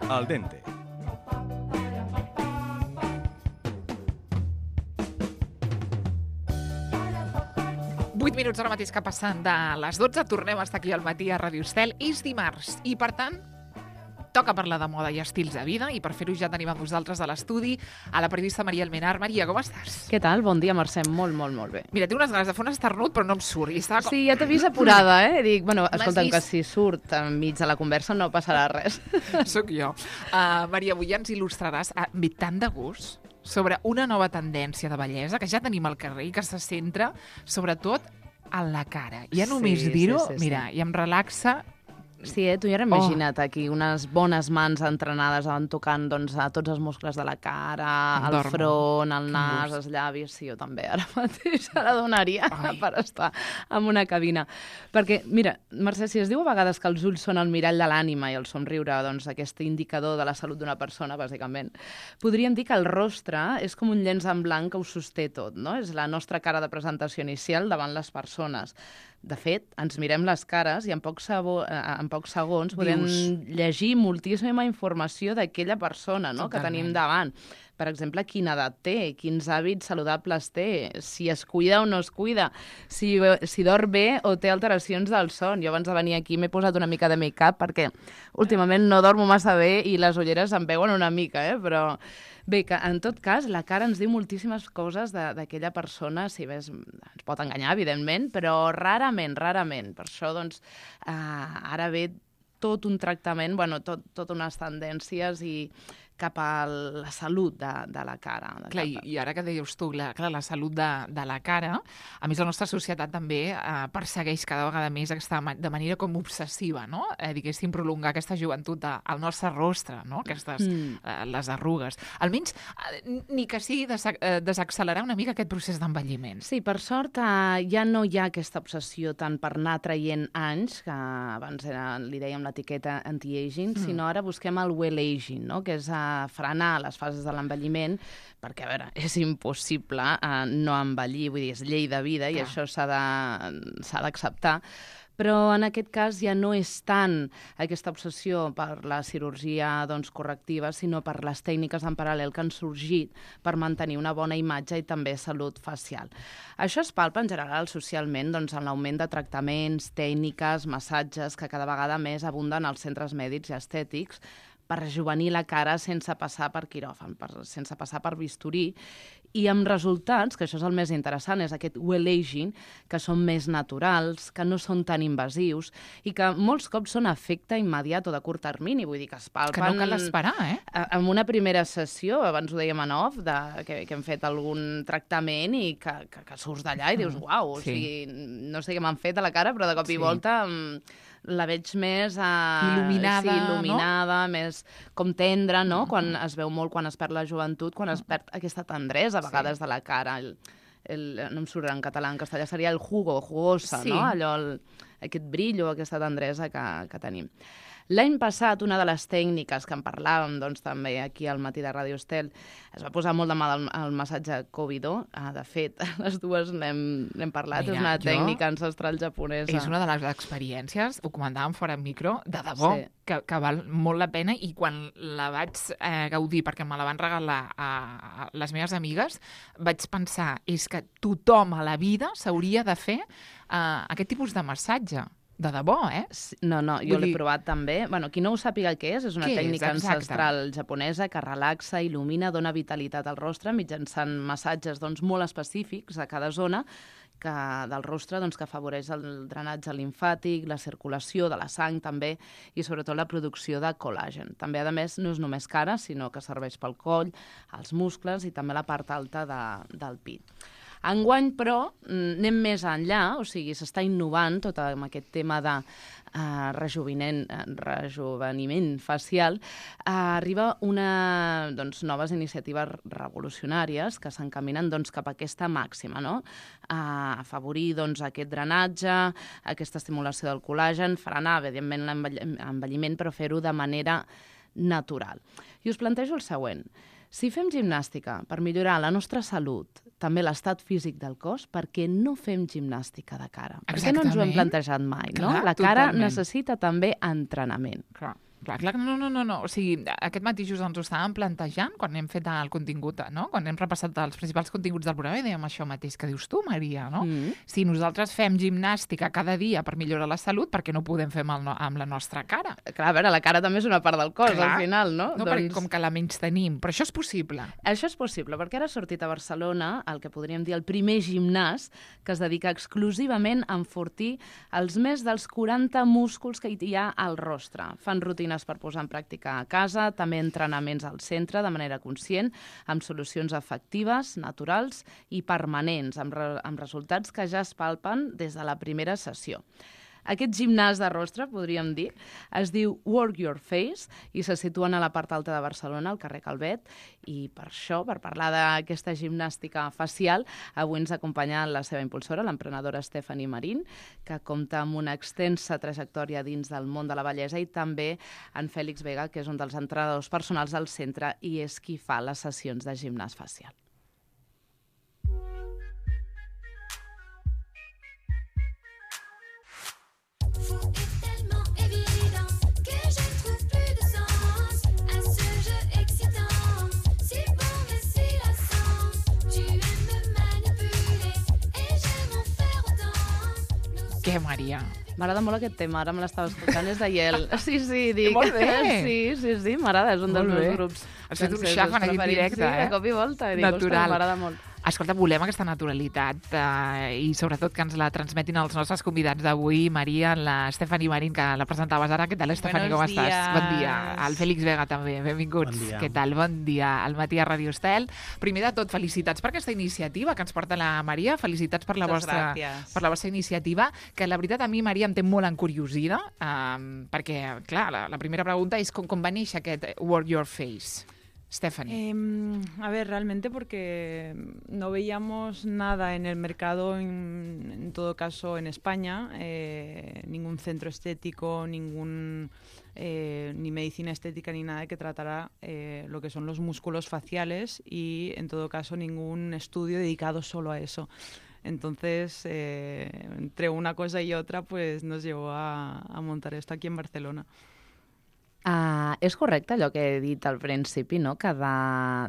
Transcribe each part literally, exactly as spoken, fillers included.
Al dente. vuit minuts ara mateix que passen de les dotze. Tornem a estar aquí al matí a Ràdio Estel. És dimarts i, per tant, toca parlar de moda i estils de vida, i per fer-ho ja tenim amb nosaltres a l'estudi a la periodista Maria Almenar. Maria, com estàs? Què tal? Bon dia, Mercè. Molt, molt, molt bé. Mira, tinc unes ganes de fer un esternut, però no em surt. I estava com... Sí, ja t'he vist apurada, eh? Dic, bueno, escolta'm, vist? que si surt enmig de la conversa no passarà res. Soc jo. Uh, Maria, avui ja ens il·lustraràs amb tant de gust sobre una nova tendència de bellesa que ja tenim al carrer i que se centra, sobretot, a la cara. Ja només Sí, dir-ho, sí, sí, sí. mira, i em relaxa. Sí, eh? Tu ja imagina't aquí unes bones mans entrenades en tocant doncs, a tots els muscles de la cara, Em el dormo. front, el Quin nas, gust. els llavis. Sí, jo també ara mateix ara donaria Ai. per estar en una cabina. Perquè, mira, Mercè, si es diu a vegades que els ulls són el mirall de l'ànima i el somriure, doncs, aquest indicador de la salut d'una persona, bàsicament, podríem dir que el rostre és com un llenç en blanc que ho sosté tot, no? És la nostra cara de presentació inicial davant les persones. De fet, ens mirem les cares i en pocs, sabo, eh, en pocs segons podem Dius. llegir moltíssima informació d'aquella persona, no?, que Totalment. tenim davant. Per exemple, quina edat té, quins hàbits saludables té, si es cuida o no es cuida, si, si dorm bé o té alteracions del son. Jo abans de venir aquí m'he posat una mica de make-up perquè últimament no dormo massa bé i les ulleres em veuen una mica, eh? Però bé, que en tot cas la cara ens diu moltíssimes coses de- d'aquella persona, si ves, ens pot enganyar, evidentment, però rarament, rarament. Per això, doncs, eh, ara ve tot un tractament, bueno, tot, tot unes tendències i cap a la salut de, de la cara. De Clar, i, cap a... i ara que deies tu, la, clar, la salut de, de la cara, a més la nostra societat també eh, persegueix cada vegada més aquesta, ma- de manera com obsessiva, no? Eh, diguéssim, prolongar aquesta joventut de, al nostre rostre, no? Aquestes, Mm. eh, les arrugues. Almenys, eh, ni que sigui desa eh, desaccelerar una mica aquest procés d'envelliment. Sí, per sort eh, ja no hi ha aquesta obsessió tant per anar traient anys, que abans era, li dèiem l'etiqueta anti-aging, mm. sinó ara busquem el well-aging, no?, que és eh, frenar les fases de l'envelliment, perquè, a veure, és impossible eh, no envellir, vull dir, és llei de vida i Clar. això s'ha de- s'ha d'acceptar. Però en aquest cas ja no és tant aquesta obsessió per la cirurgia doncs, correctiva, sinó per les tècniques en paral·lel que han sorgit per mantenir una bona imatge i també salut facial. Això es palpa en general socialment doncs, en l'augment de tractaments, tècniques, massatges que cada vegada més abunden als centres mèdics i estètics per rejuvenir la cara sense passar per quiròfan, per, sense passar per bisturí, i amb resultats, que això és el més interessant, és aquest well-aging, que són més naturals, que no són tan invasius, i que molts cops són efecte immediat o de curt termini, vull dir que es palpen... Que no cal esperar, eh? a- en una primera sessió, abans ho dèiem en off, de, que, que hem fet algun tractament i que, que, que surts d'allà i dius, uau, o sí. sigui, no sé què m'han fet a la cara, però de cop Sí. i volta mm, la veig més... Uh, Il·luminada, sí, il·luminada, no? més com tendra, no? Mm-hmm. Quan es veu molt quan es perd la joventut, quan es perd aquesta tendresa, a vegades, Sí. de la cara. El, el, no em surt en català, en castellà seria el jugo, jugosa, Sí. no? Allò, el, aquest brillo, aquesta tendresa que, que tenim. L'any passat, una de les tècniques que en parlàvem doncs, també aquí al matí de Ràdio Estel, es va posar molt de mal el, el massatge Kobido. Ah, de fet, les dues n'hem n'hem parlat. Mira, és una jo- tècnica ancestral japonesa. És una de les experiències, ho comentàvem fora en micro, de debò, Sí. que, que val molt la pena, i quan la vaig eh, gaudir, perquè me la van regalar a, a les meves amigues, vaig pensar, és que tothom a la vida s'hauria de fer eh, aquest tipus de massatge. De debò, eh? Sí, No, no, jo Vull l'he dir- provat també. Bueno, qui no ho sàpiga què és, és una Què és? tècnica Exacte. ancestral japonesa que relaxa, il·lumina, dona vitalitat al rostre mitjançant massatges doncs, molt específics a cada zona que, del rostre doncs, que afavoreix el drenatge limfàtic, la circulació de la sang també i sobretot la producció de col·làgen. També, a més, no és només cara, sinó que serveix pel coll, els muscles i també la part alta de, del pit. Enguany, però, mm, anem més enllà, o sigui, s'està innovant tot amb aquest tema de uh, rejuveniment, rejuveniment facial. Uh, arriba una, doncs, noves iniciatives revolucionàries que s'encaminen doncs, cap a aquesta màxima, no? Uh, afavorir doncs, aquest drenatge, aquesta estimulació del col·làgen, frenar, evidentment, l'envelliment, però fer-ho de manera natural. I us plantejo el següent. Si fem gimnàstica per millorar la nostra salut, també l'estat físic del cos, per què no fem gimnàstica de cara? Per què no ens ho hem Exactament. plantejat mai, no? Clar, La cara totalment. necessita també entrenament. Clar. Clar, clar, no, no, no, no. O sigui, aquest matí just ens ho estàvem plantejant quan hem fet el contingut, no? Quan hem repassat els principals continguts del programa i dèiem això mateix que dius tu, Maria, no? Mm. Si nosaltres fem gimnàstica cada dia per millorar la salut, per què no ho podem fer amb, el, amb la nostra cara? Clar, a veure, la cara també és una part del cos, clar, al final, no? No, doncs... perquè com que la menys tenim. Però això és possible. Això és possible, perquè ara ha sortit a Barcelona el que podríem dir el primer gimnàs que es dedica exclusivament a enfortir els més dels quaranta músculs que hi ha al rostre. Fan rutines per posar en pràctica a casa, també entrenaments al centre de manera conscient, amb solucions efectives, naturals i permanents, amb, re amb resultats que ja es palpen des de la primera sessió. Aquest gimnàs de rostre, podríem dir, es diu Work Your Face i se situen a la part alta de Barcelona, al carrer Calvet, i per això, per parlar d'aquesta gimnàstica facial, avui ens acompanya la seva impulsora, l'emprenedora Stephanie Marín, que compta amb una extensa trajectòria dins del món de la bellesa, i també en Fèlix Vega, que és un dels entrenadors personals del centre i és qui fa les sessions de gimnàs facial. Què, Maria? M'agrada molt aquest tema, ara me l'estava escoltant, és d'Aiel. Sí, sí, dic. Molt bé. Sí, sí, sí, m'agrada, és un dels meus grups. Has fet un xaf en aquest directe, sí, eh? de cop i volta. I natural. Dic, m'agrada molt. Escolta, volem aquesta naturalitat eh, i sobretot que ens la transmetin els nostres convidats d'avui, Maria, la Stephanie Marín, que la presentaves ara. Què tal, Stephanie, com Buenos estàs? días. Bon dia. El Fèlix Vega també, benvinguts. Bon dia. Què tal? Bon dia. Al matí a Radio Estel. Primer de tot, felicitats per aquesta iniciativa que ens porta la Maria. Felicitats per la, vostra, per la vostra iniciativa, que la veritat a mi, Maria, em té molt encuriosida, eh, perquè, clar, la, la primera pregunta és com, com va néixer aquest Work Your Face. Stephanie. Eh, a ver, realmente porque no veíamos nada en el mercado, en, en todo caso en España, eh, ningún centro estético, ningún eh, ni medicina estética ni nada que tratara eh, lo que son los músculos faciales y en todo caso ningún estudio dedicado solo a eso. Entonces, eh, entre una cosa y otra, pues nos llevó a, a montar esto aquí en Barcelona. Uh, és correcte allò que he dit al principi, no? Que de,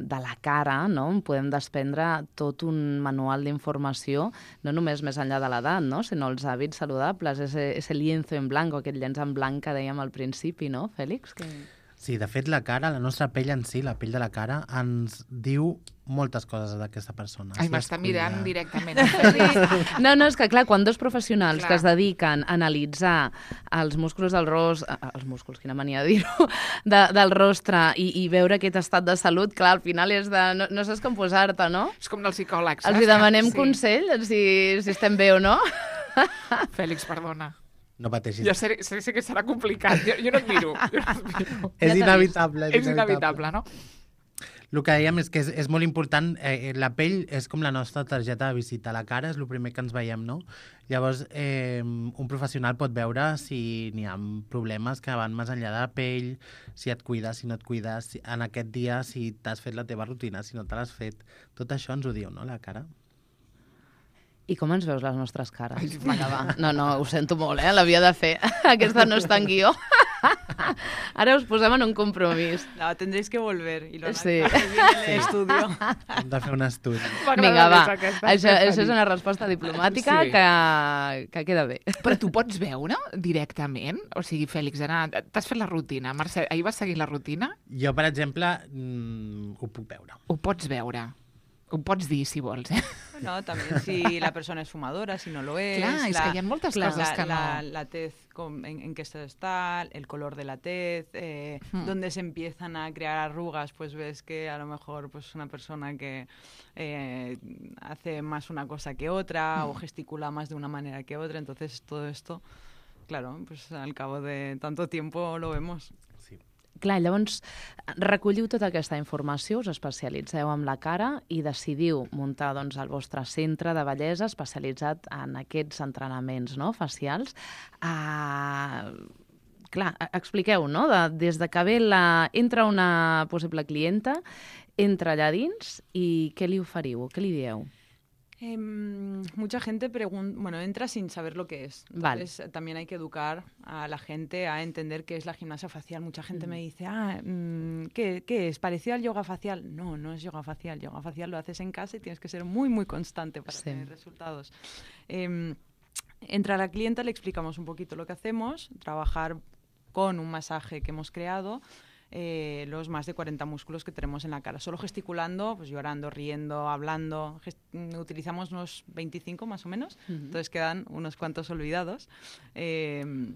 de la cara, no? En podem desprendre tot un manual d'informació, no només més enllà de l'edat, no? Sinó els hàbits saludables, ese, ese lienzo en blanc, aquest llenç en blanc que dèiem al principi, no, Fèlix? Que... Sí, de fet, la cara, la nostra pell en si, la pell de la cara, ens diu moltes coses d'aquesta persona. Ai, si m'està mirant cuida... directament. Sí. No, no, és que clar, quan dos professionals Clar. que es dediquen a analitzar els músculs del rostre, els músculs, quina mania de dir-ho, de, del rostre i, i veure aquest estat de salut, clar, al final és de... No, no saps com posar-te, no? És com dels psicòlegs. Els hi demanem sí. consell si, si estem bé o no. Fèlix, perdona. No pateixis. Jo sé, sé, sé que serà complicat. Jo, jo no et miro. Jo no et miro. És inevitable. És inevitable, no? El que dèiem és que és, és molt important, eh, la pell és com la nostra targeta de visita, la cara és el primer que ens veiem, no? Llavors, eh, un professional pot veure si n'hi ha problemes que van més enllà de la pell, si et cuides, si no et cuides, si, en aquest dia, si t'has fet la teva rutina, si no te l'has fet. Tot això ens ho diu, no?, la cara. I com ens veus les nostres cares? Vinga, va. No, no, ho sento molt, eh? L'havia de fer. Aquesta no està en guió. Ara us posem en un compromís. No, tendréis que volver y lo sí. en el estudio. Hem de fer un estudi. Vinga, va. Això, això és una resposta diplomàtica sí. que, que queda bé. Però tu pots veure directament? O sigui, Fèlix, t'has fet la rutina. Mercè, ahir vas seguir la rutina? Jo, per exemple, mmm, ho puc veure. Ho pots veure. Ho pots dir, si vols, eh? No, también si la persona es fumadora, si no lo es. Clar, és la, que hi ha moltes la, coses que no... La, la tez, con, en, en qué estado está, el color de la tez, eh, hmm. donde se empiezan a crear arrugas, pues ves que a lo mejor pues una persona que eh, hace más una cosa que otra hmm. o gesticula más de una manera que otra, entonces todo esto, claro, pues al cabo de tanto tiempo lo vemos. Clar, llavors recolliu tota aquesta informació, us especialitzeu en la cara i decidiu muntar doncs, el vostre centre de bellesa especialitzat en aquests entrenaments, no?, facials. Uh, clar, expliqueu, no?, de, des de que ve la, entra una possible clienta, entra allà dins i què li oferiu, què li dieu? Eh, mucha gente pregunta, bueno, entra sin saber lo que es. Entonces, vale. También hay que educar a la gente a entender qué es la gimnasia facial. Mucha gente mm. me dice, ah, ¿qué, ¿qué es? ¿Parecido al yoga facial? No, no es yoga facial. Yoga facial lo haces en casa y tienes que ser muy, muy constante para sí. tener resultados. Eh, entra la clienta, le explicamos un poquito lo que hacemos, trabajar con un masaje que hemos creado, Eh, los más de cuarenta músculos que tenemos en la cara, solo gesticulando, pues llorando, riendo, hablando. Gest utilizamos unos veinticinco más o menos, uh-huh. entonces quedan unos cuantos olvidados. Eh,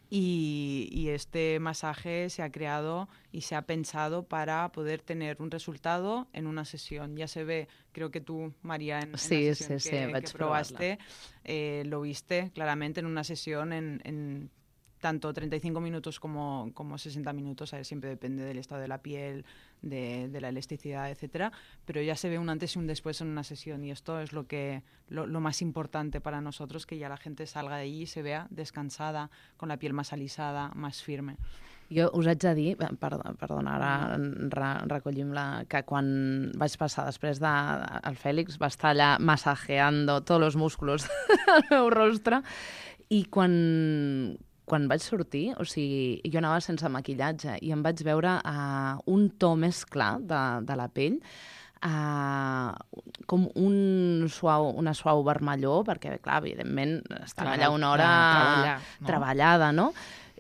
y, y este masaje se ha creado y se ha pensado para poder tener un resultado en una sesión. Ya se ve, creo que tú, María, en, sí, en la sesión sí, que, sí, que probaste, eh, lo viste claramente en una sesión en... en tanto treinta y cinco minutos como, como sesenta minutos, ¿sabes? Siempre depende del estado de la piel, de, de la elasticidad, etcétera, pero ya se ve un antes y un después en una sesión y esto es lo, que, lo, lo más importante para nosotros, que ya la gente salga de allí y se vea descansada, con la piel más alisada, más firme. Jo us haig de dir, perdona, perdona ara re, recollim la, que quan vaig passar després de... El Fèlix va estar allà massajeando tots els músculs del meu rostre i quan... Quan vaig sortir, o sigui, jo anava sense maquillatge i em vaig veure uh, un to més clar de, de la pell, uh, com un suau, una suau vermellor, perquè, clar, evidentment, estava allà una hora treballar, no? treballada, no?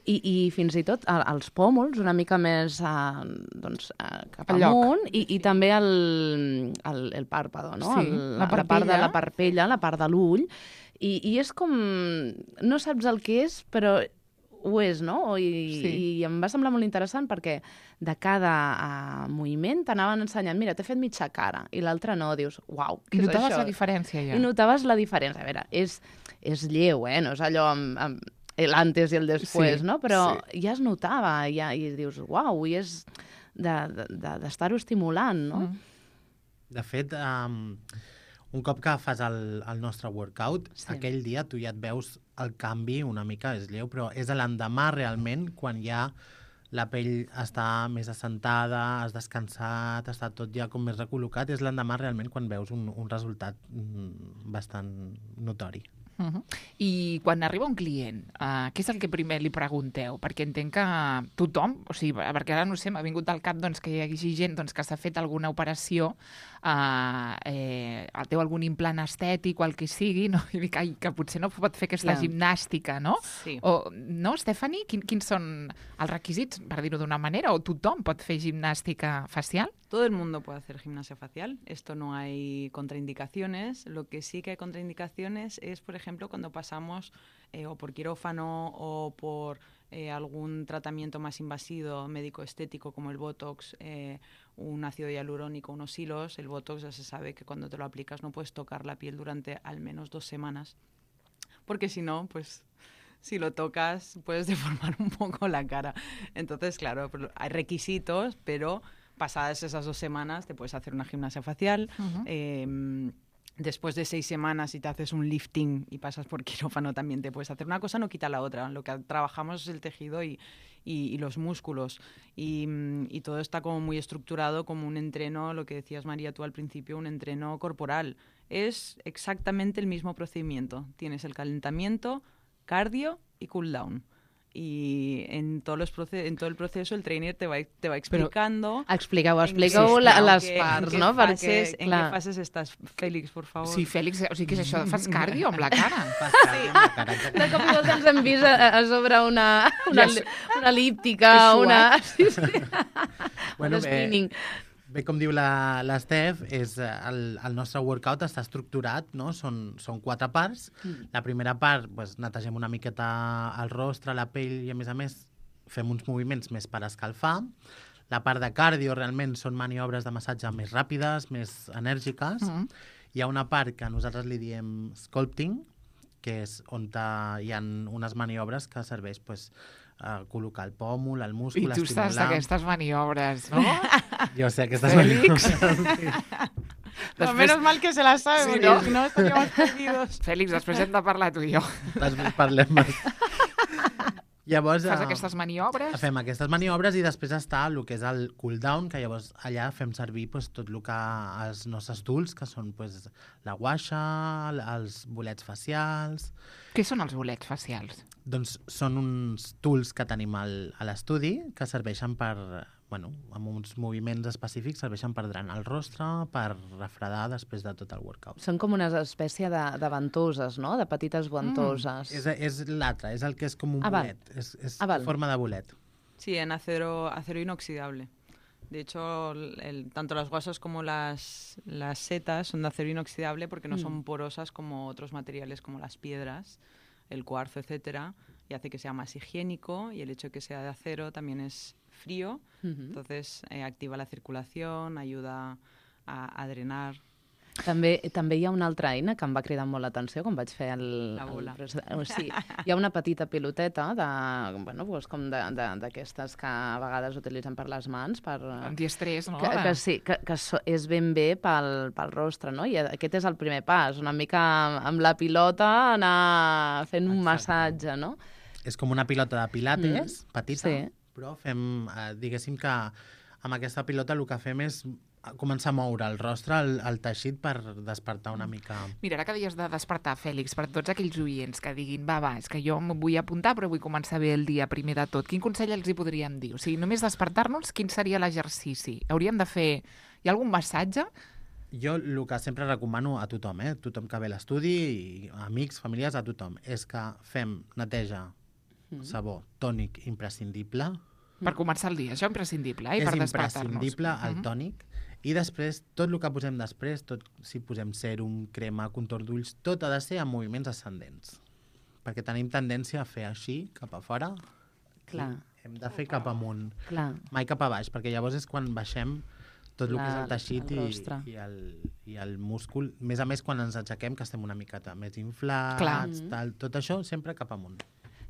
I, i fins i tot els pòmuls una mica més uh, doncs, uh, cap amunt i, i també el, el, el pàrpado, no? Sí, el, la, la part de la parpella, la part de l'ull, i, i és com... No saps el que és, però ho és, no? I, sí. I em va semblar molt interessant perquè de cada uh, moviment t'anaven ensenyant, mira, t'he fet mitja cara, i l'altre no, dius, uau, què és això? I notaves la diferència, ja. I notaves la diferència. A veure, és, és lleu, eh? No és allò amb, amb l'antes i el després, sí, no? Però sí. ja es notava, ja, i dius, uau, i és d'estar-ho de, de, estimulant, no? Mm. De fet, um, un cop que fas el, el nostre workout, sí. aquell dia tu ja et veus el canvi una mica, és lleu, però és l'endemà realment, quan ja la pell està més assentada, has descansat, està tot ja com més recol·locat, és l'endemà realment quan veus un, un resultat bastant notori. Uh-huh. I quan arriba un client, uh, què és el que primer li pregunteu? Perquè entenc que tothom, o sigui, perquè ara no sé, m'ha vingut al cap doncs, que hi hagi gent doncs, que s'ha fet alguna operació, uh, eh, té algun implant estètic o el que sigui, no? I dic, ai, que potser no pot fer aquesta yeah. gimnàstica, no? Sí. O, no, Stephanie? Quin, quins són els requisits, per dir-ho d'una manera? O tothom pot fer gimnàstica facial? Todo el mundo puede hacer gimnasia facial. Esto no hay contraindicaciones. Lo que sí que hay contraindicaciones es, por ejemplo, cuando pasamos eh, o por quirófano o por eh, algún tratamiento más invasivo médico-estético como el Botox, eh, un ácido hialurónico, unos hilos. El Botox ya se sabe que cuando te lo aplicas no puedes tocar la piel durante al menos dos semanas, porque si no, pues... si lo tocas puedes deformar un poco la cara. Entonces, claro, hay requisitos, pero pasadas esas dos semanas te puedes hacer una gimnasia facial. Uh-huh. eh, después de seis semanas, si te haces un lifting y pasas por quirófano, también te puedes hacer. Una cosa no quita la otra. Lo que trabajamos es el tejido y, y, y los músculos. Y, y todo está como muy estructurado como un entreno, lo que decías, María, tú al principio, un entreno corporal. Es exactamente el mismo procedimiento. Tienes el calentamiento, cardio y cool down. Y en, todos los proce en todo el proceso el trainer te va, te va explicando... Però expliqueu, expliqueu sí, les que, parts, en no? Fases, Perquè, en què fases estàs, Fèlix, por favor? Sí, Fèlix, o sigui, què és això? Fas cardio amb la cara? Fas cardio amb la cara. De cop i volta ens hem vist a, a sobre una, una, una elíptica, una... Sí, sí. Bueno, un spinning. Bé, com diu l'Estef, el, el nostre workout està estructurat, no? Són, són quatre parts. Mm. La primera part, pues, netegem una miqueta el rostre, la pell, i a més a més fem uns moviments més per escalfar. La part de cardio realment són maniobres de massatge més ràpides, més enèrgiques. Mm. Hi ha una part que nosaltres li diem sculpting, que és on hi ha unes maniobres que serveix pues, a col·locar el pòmul, el múscul, estimular... I tu estimular... estàs d'aquestes maniobres, no? Jo sé aquestes Fèlix. maniobres. Sí. Després... menos mal que se la sabe, sí, porque si no estaríamos perdidos. Fèlix, després hem de parlar tu i jo. Després parlem més. Llavors, Fas eh, aquestes maniobres? Fem aquestes maniobres i després està el que és el cool down, que llavors allà fem servir pues, tot el que els nostres tools, que són pues, la guaixa, els bolets facials... Què són els bolets facials? Doncs són uns tools que tenim al, a l'estudi que serveixen per, bueno, amb uns moviments específics, serveixen per drenar el rostre, per refredar després de tot el workout. Són com una espècie de, de ventoses, no? De petites ventoses. És, és l'altre, és el que és com un Ah, val. bolet, és, és Ah, val. en forma de bolet. Sí, en acero, acero inoxidable. De hecho, el, el- tanto las guasas como las, las setas son de acero inoxidable porque no Mm. son porosas como otros materiales como las piedras, el cuarzo, etcétera, y hace que sea más higiénico, y el hecho de que sea de acero también es frío, Mhm. entonces eh, activa la circulación, ayuda a, a drenar. També, també hi ha una altra eina que em va cridar molt l'atenció quan vaig fer el... La bola. El, o sigui, hi ha una petita piloteta de, bueno, doncs com de- de- d'aquestes que a vegades utilitzen per les mans, per... Antiestrès, no? Que, que sí, que, que so, és ben bé pel, pel rostre, no? I aquest és el primer pas, una mica amb la pilota anar fent un Exacte. massatge, no? És com una pilota de pilates, Mm, petita, sí. però fem, eh, diguéssim que amb aquesta pilota el que fem és començar a moure el rostre, el, el teixit, per despertar una mica... Mira, ara que deies de despertar, Fèlix, per tots aquells oients que diguin va, va, és que jo em vull apuntar però vull començar bé el dia primer de tot, quin consell els hi podríem dir? O sigui, només despertar-nos, quin seria l'exercici? Hauríem de fer... Hi ha algun massatge? Jo el que sempre recomano a tothom, eh? tothom que ve a l'estudi, i amics, famílies, a tothom, és que fem neteja, Mm. sabó, tònic imprescindible. Per començar el dia, això imprescindible, eh? I és per despertar-nos. imprescindible el Mhm. tònic. I després, tot el que posem després, tot, si posem sèrum, crema, contorn d'ulls, tot ha de ser amb moviments ascendents. Perquè tenim tendència a fer així, cap a fora, Clar. i hem de fer cap amunt. Clar. Mai cap a baix, perquè llavors és quan baixem tot el La- que és el teixit el i, rostre. i, el, i el múscul. A més a més, quan ens aixequem, que estem una miqueta més inflats, Clar. tal, tot això sempre cap amunt.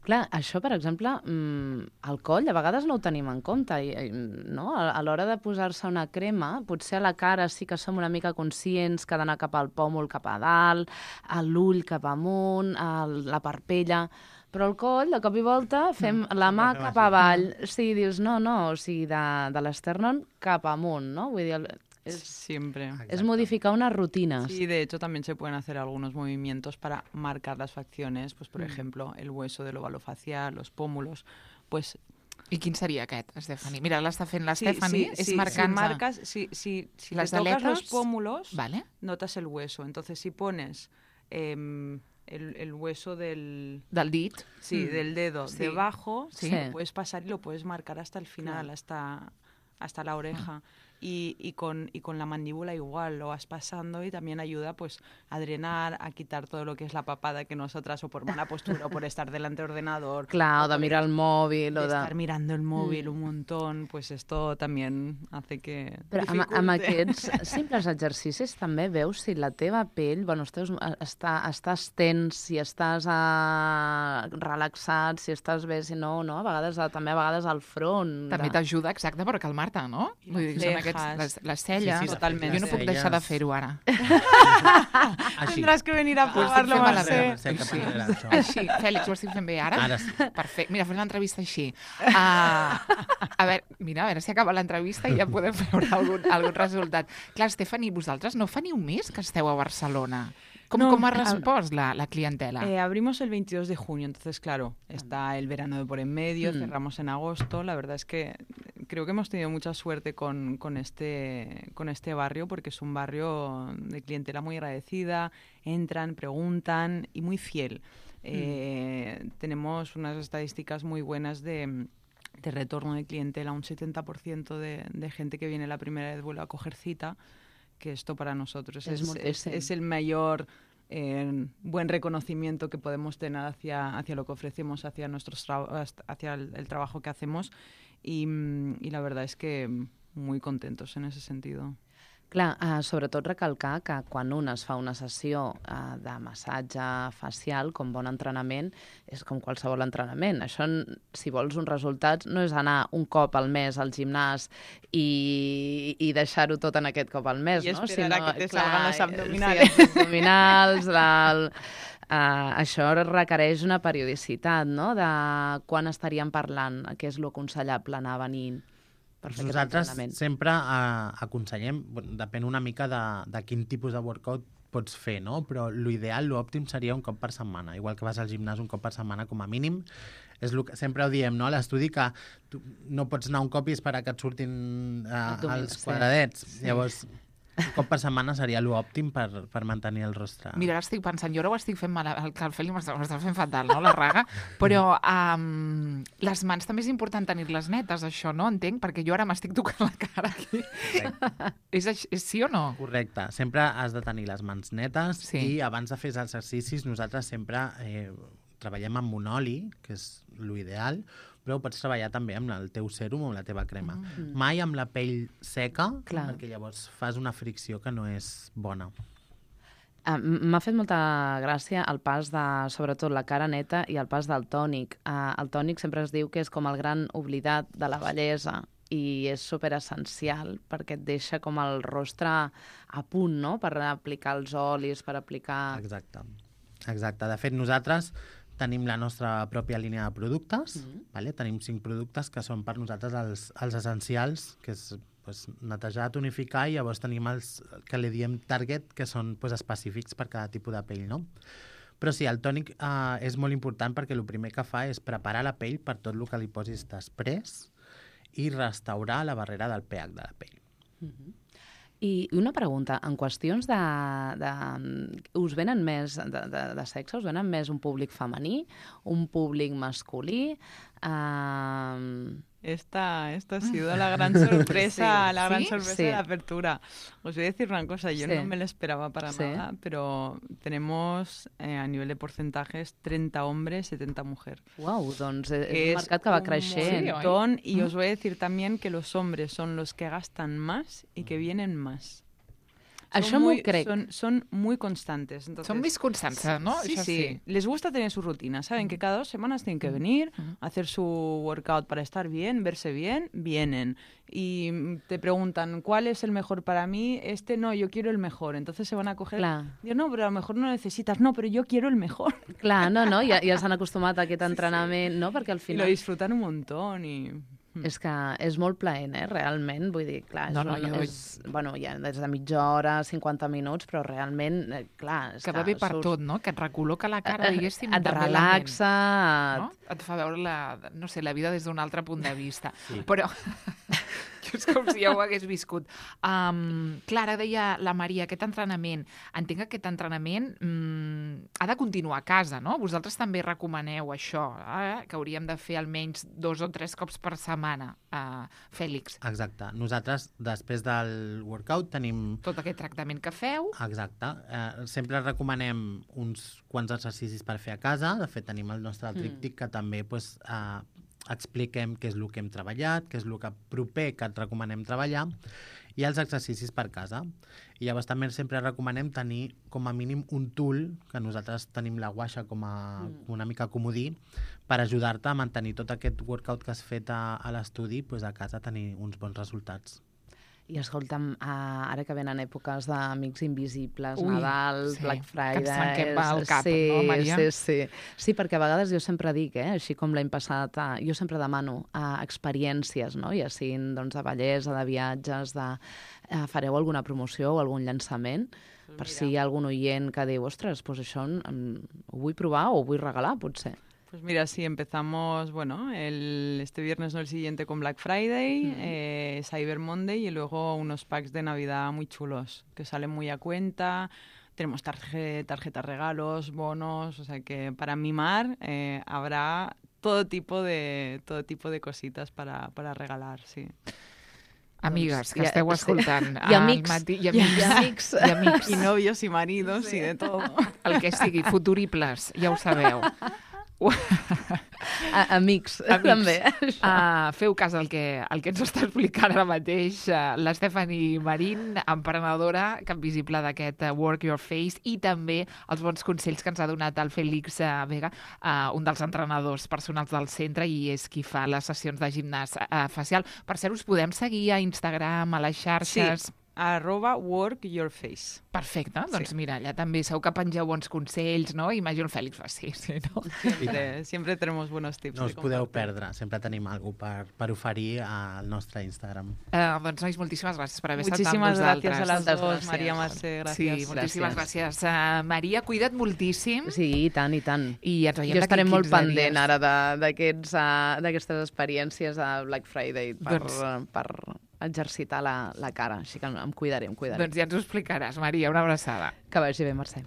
Clar, això, per exemple, mm, el coll a vegades no ho tenim en compte, i, i, no? A, a l'hora de posar-se una crema, potser a la cara sí que som una mica conscients que ha d'anar cap al pòmul cap a dalt, a l'ull cap amunt, a la parpella, però el coll, de cop i volta, fem la mà fem cap així. avall. Sí, dius, no, no, o sigui, de, de l'esternón cap amunt, no? Vull dir, el- és, Siempre. és modificar unes rutines. Sí, de hecho también se pueden hacer algunos movimientos para marcar las facciones, pues por Mm. ejemplo el hueso del óvalo facial, los pómulos, pues I quin seria aquest, Estefani? Mira, l'està fent la sí, Estefani, sí, és sí, marcant... si marcas, si, si, si Las te tocas los aletas, pómulos, Vale. notas el hueso. Entonces si pones em, el, el hueso del, Del dit. sí, Mm. del dedo Sí. debajo, Sí. lo puedes pasar y lo puedes marcar hasta el final, hasta, hasta la oreja. Y, y, con, y con la mandíbula igual, lo vas pasando y también ayuda pues a drenar, a quitar todo lo que es la papada que nosotras, o por mala postura, o por estar delante del ordenador, Clar, o de por mirar el mòbil, de o de... estar mirando el móvil Mm. un montón, pues esto también hace que Però amb, amb dificulte. aquests simples exercicis també veus si la teva pell, bueno, estàs, està, estàs tens, si estàs uh, relaxat, si estàs bé, si no, no? A vegades, uh, també a vegades al front. També de... t'ajuda, exacte, per calmar-te, no? I Vull dir, les són aquests, cejas. les, les celles. Sí, sí, totalment. Jo no les puc deixar de celles. fer-ho ara. Així. Tendràs que venir a Pues provarlo, estic fent Mercè. malament. Mercè, que Sí. parlarà això. Així, Fèlix, ho estic fent bé ara? Ara sí. Perfecte. Mira, fem l'entrevista així. Uh, a veure, mira, a veure si acaba l'entrevista i ja podem veure algun, algun resultat. Clar, Estefani, vosaltres no fa ni un mes que esteu a Barcelona. Com, No, com ha a- respost la, la clientela? Eh, abrimos el veintidós de junio, entonces claro, está el verano de por en medio, Mm. cerramos en agosto. La verdad es que creo que hemos tenido mucha suerte con, con, este, con este barrio, porque es un barrio de clientela muy agradecida, entran, preguntan y muy fiel. Eh, Tenemos unas estadísticas muy buenas de, de retorno de clientela, un setenta por ciento de, de gente que viene la primera vez vuelve a coger cita, que esto para nosotros Es es, muy- es- sí. es el mayor eh, buen reconocimiento que podemos tener hacia, hacia lo que ofrecemos, hacia, nuestros tra- hacia el, el trabajo que hacemos, y, mm, y la verdad es que muy contentos en ese sentido. Clar, uh, sobretot recalcar que quan un es fa una sessió uh, de massatge facial, com bon entrenament, és com qualsevol entrenament. Això, si vols uns resultats, no és anar un cop al mes al gimnàs i, i deixar-ho tot en aquest cop al mes, I no? esperar Sinó, a que te clar, salgan los abdominales. Sí, els abdominals, la, el, uh, això requereix una periodicitat, no?, de quan estaríem parlant, què és l'aconsellable anar venint. Nosaltres sempre uh, aconsellem, bueno, depèn una mica de, de quin tipus de workout pots fer, no? Però l'ideal, l'òptim seria un cop per setmana, igual que vas al gimnàs un cop per setmana com a mínim. És lo que sempre ho diem, no?, a l'estudi, que tu no pots anar un cop i esperar que et surtin uh, els quadradets. Sí. Llavors, un cop per setmana seria l'òptim per, per mantenir el rostre. Mira, ara estic pensant, jo ara ho estic fent mal, el que el Feli m'està fent fatal, no?, la raga, però um, les mans també és important tenir-les netes, això, no? Entenc, perquè jo ara m'estic tocant la cara aquí. és, és sí o no? Correcte. Sempre has de tenir les mans netes, sí. I abans de fer els exercicis nosaltres sempre eh, treballem amb un oli, que és l'ideal, però ho pots treballar també amb el teu sèrum o amb la teva crema. Mm. Mai amb la pell seca, clar, perquè llavors fas una fricció que no és bona. Uh, M'ha fet molta gràcia el pas de, sobretot, la cara neta i el pas del tònic. Uh, el tònic sempre es diu que és com el gran oblidat de la bellesa i és superessencial perquè et deixa com el rostre a punt, no?, per aplicar els olis, per aplicar... Exacte. Exacte. De fet, nosaltres tenim la nostra pròpia línia de productes, mm-hmm. vale? Tenim cinc productes que són per nosaltres els, els essencials, que és pues, netejar, tonificar, i llavors tenim els que li diem target, que són pues, específics per cada tipus de pell, no? Però sí, el tònic eh, és molt important perquè el primer que fa és preparar la pell per tot el que li posis després i restaurar la barrera del pH de la pell. Mm-hmm. I una pregunta, en qüestions de... de us venen més de, de, de sexe, us venen més un públic femení, un públic masculí? Uh... Esta, esta ha sido la gran sorpresa, sí. la gran ¿Sí? sorpresa Sí. de la apertura. Os voy a decir una cosa, yo sí. no me lo esperaba para sí. nada, pero tenemos eh, a nivel de porcentajes treinta hombres, setenta mujeres. Wow, doncs és, és un mercat que va creixent. Un montón, y mm. os voy a decir también que los hombres son los que gastan más y que vienen más. Això m'ho crec. Son, son muy constantes. Entonces, son muy constantes, ¿no? Sí, Eso sí, sí. Les gusta tener su rutina. Saben mm. que cada dos semanas tienen que venir, mm. hacer su workout para estar bien, verse bien, vienen. Y te preguntan, ¿cuál es el mejor para mí? Este no, yo quiero el mejor. Entonces se van a coger... Clar. Digo, no, pero a lo mejor no necesitas. No, pero yo quiero el mejor. Clar, no, no, ja, ja s'han acostumat a aquest entrenament, no? Perquè al final... Y lo disfrutan un montón y... És que és molt plaent, eh, realment. Vull dir, clar, és, no, no, una, jo... és, bueno, ja des de mitja hora, cinquanta minuts, però realment, eh, clar... Que va bé per surts... tot, no? Que et recol·loca la cara, diguéssim, et també relaxa... la ment, no? Et fa veure la, no sé, la vida des d'un altre punt de vista. Sí. Però... és com si ja ho hagués viscut. Um, Clara, deia la Maria, aquest entrenament, entenc que aquest entrenament um, ha de continuar a casa, no? Vosaltres també recomaneu això, eh? Que hauríem de fer almenys dos o tres cops per setmana, uh, Fèlix. Exacte. Nosaltres, després del workout, tenim... Tot aquest tractament que feu. Exacte. Eh, sempre recomanem uns quants exercicis per fer a casa. De fet, tenim el nostre tríptic mm. que també pues, eh, expliquem què és el que hem treballat, què és el que proper que et recomanem treballar, i els exercicis per casa. I llavors també sempre recomanem tenir com a mínim un tool, que nosaltres tenim la guaixa com a mm. una mica comodí, per ajudar-te a mantenir tot aquest workout que has fet a, a l'estudi, pues a casa tenir uns bons resultats. I escolta'm, uh, ara que venen èpoques d'Amics Invisibles, Ui, Nadal, sí, Black Friday... Que ens tanquem al cap, sí, no, Maria? Sí, sí. Sí, perquè a vegades jo sempre dic, eh, així com l'any passat, uh, jo sempre demano uh, experiències, no? Ja siguin doncs, de bellesa, de viatges, de... Uh, fareu alguna promoció o algun llançament? Pues per mira. Si hi ha algun oient que diu, ostres, pues això um, ho vull provar o ho vull regalar, potser. Pues mira, sí, empezamos, bueno, el, este viernes, no el siguiente, con Black Friday, mm. eh, Cyber Monday y luego unos packs de Navidad muy chulos, que salen muy a cuenta. Tenemos tarje, tarjetas regalos, bonos, o sea que para mimar eh, habrá todo tipo de, todo tipo de cositas para, para regalar, sí. Amigues, que esteu escoltant. I amics. Matí, i amics. I amics. I amics. Y novios y maridos sí. y de todo. El que sigui, futuribles, ja ho sabeu. A, amics, Amics. també. Uh, feu cas al que, al que ens està explicant ara mateix uh, la Stephanie Marín, emprenedora Cap Visible d'aquest uh, Work Your Face, i també els bons consells que ens ha donat el Félix uh, Vega, uh, un dels entrenadors personals del centre i és qui fa les sessions de gimnàs uh, facial. Per cert, us podem seguir a Instagram, a les xarxes... Sí. Arroba work your face. Perfecte, doncs Sí. mira, allà també segur que pengeu bons consells, no? Imagino el Fèlix fa sí, sí, no? Siempre, siempre tenemos buenos tips. No de us podeu compartir. perdre, sempre tenim alguna per, per oferir al nostre Instagram. Uh, doncs, nois, moltíssimes gràcies per haver estat amb Muchísimas vosaltres. gracias a las Moltes dos, gràcies. María Mercè, Sí, gracias. moltíssimes gràcies. Uh, Maria, cuida't moltíssim. Sí, i tant, i tant. I ens veiem Jo d'aquí estaré molt quinze pendent dies. ara de- d'aquests, uh, d'aquestes experiències a Black Friday per, Doncs- uh, per exercitar la, la cara. Així que em cuidaré, em cuidaré. Doncs ja ens ho explicaràs, Maria. Una abraçada. Que vagi bé, Mercè.